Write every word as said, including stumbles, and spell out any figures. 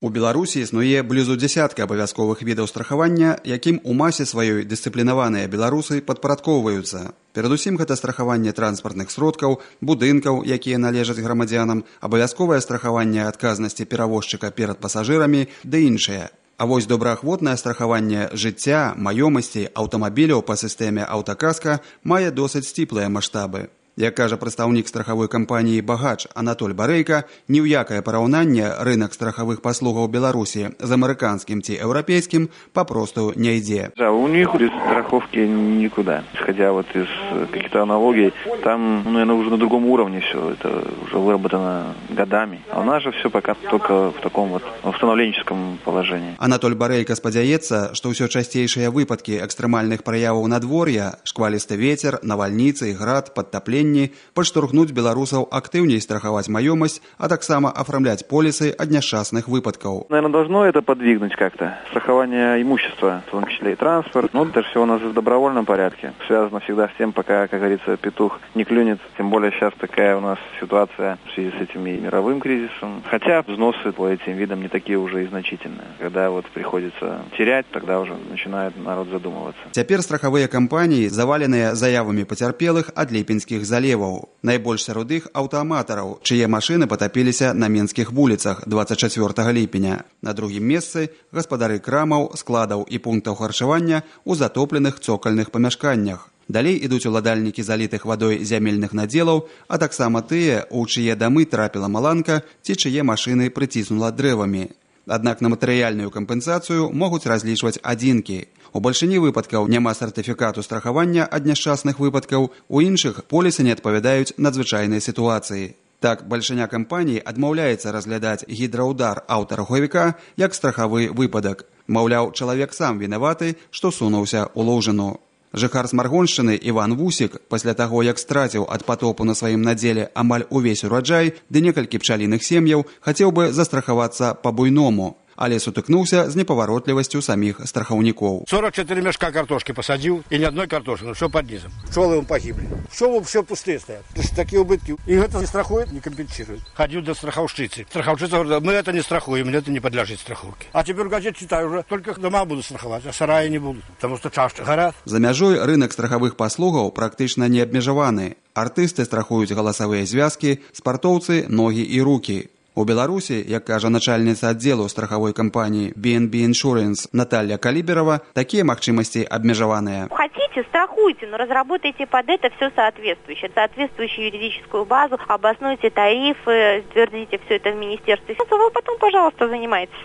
У Беларусі існуе блізу дзясятка абавязковых відаў страхавання, якім у масе сваёй дысцыплінаваныя беларусы падпарадкоўваюцца. Перадусім гэта страхаванне транспартных сродкаў, будынкаў, якія належаць грамадзянам, абавязковае страхаванне адказнасці перавозчыка перад пасажырамі ды іншае. А вось добраахвотнае страхаванне жыцця, маёмасці, аўтамабіляў па сістэме аўтакаска мае досыць сціплыя маштабы. Як кажа прадстаўнік страхавой кампаніі «Багач» Анатоль Барэйка, ні ў якае параўнанне рынок страхавых паслугаў Беларусі з амерыканскім ці еўрапейскім попросту не ідзе. Да, у них без страховки никуда. Исходя вот из каких-то аналогий, там, ну, наверное, уже на другом уровне все, это уже выработано годами. А у нас же все пока только в таком вот установленческом положении. Анатоль Барэйка спадзяецца, што ўсё часцейшыя выпадкі экстрэмальных праяваў надвор'я, шквалісты вецер, навальніцы, град, падтапленне падштурхнуць беларусаў актыўней страхаваць маёмасць, а таксама афармляць полісы ад няшчасных выпадкаў. Наверное, должно это подвигнуть как-то. Страхование имущества, в том числе и транспорт. Ну, это все у нас в добровольном порядке. Связано всегда с тем, пока, как говорится, петух не клюнет. Тем более сейчас такая у нас ситуация в связи с этим и мировым кризисом. Хотя взносы по этим видам не такие уже и значительные. Когда вот приходится терять, тогда уже начинает народ задумываться. Цяпер страхавыя кампаніі заваленыя заявамі пацярпелых ад ліпеньскіх заліваў. Найбольш сярод іх аўтааматараў, чые машыны патапіліся на менскіх вуліцах дваццаць чацвёртага ліпеня. На другім месцы гаспадары крамаў, складаў і пунктаў харчавання ў затопленых цокальных памяшканнях. Далей ідуць уладальнікі залітых вадой зямельных надзелаў, а таксама тыя, у чые дамы трапіла маланка ці чые машыны прыціснула дрэвамі. Аднак на матэрыяльную кампенсацыю могуць разлічваць адзінкі. У бальшыні выпадкаў няма сертыфікату страхавання ад няшчасных выпадкаў, у іншых полісы не адпавядаюць надзвычайнай сітуацыі. Так, бальшыня кампаній адмаўляецца разглядаць гідраўдар аўтарухавіка як страхавы выпадак. Маўляў, чалавек сам вінаваты, што сунуўся ў лужыну. Жыхар Смаргоншчыны Іван Вусік, пасля таго, як страціў ад потопу на сваім надзеле амаль увесь ураджай ды некалькі пчаліных сем'яў, хацеў бы застрахавацца па-буйному, але сутыкнуўся з непаваротлівасцю саміх страхаўнікоў. сорок четыре мешка картошки посадил, и ни одной картошки, но все под низом. Пчелы погибли. Пчелы все пустые стоят. Такие убытки. И это не страхует, не компенсирует. Ходил до страховщицы. Страховщица говорит, мы это не страхуем, это не подлежит страховке. А теперь газет читаю уже, только дома буду страховать, а сараи не будут, потому что чашки горят. За мяжой рынок страхавых паслугаў практычна не абмежаваны. Артысты страхуюць галасавыя звязкі, спартоўцы ногі і рукі. У Беларусі, як кажа начальніца аддзелу страхавой кампаніі би эн би Insurance Наталья Калиберова, такие магчымасці абмежаваныя. Хотите, страхуйте, но разработайте под это все соответствующее. Соответствующую юридическую базу, обоснуйте тарифы, утвердите все это в министерстве. Вы потом, пожалуйста, занимайтесь.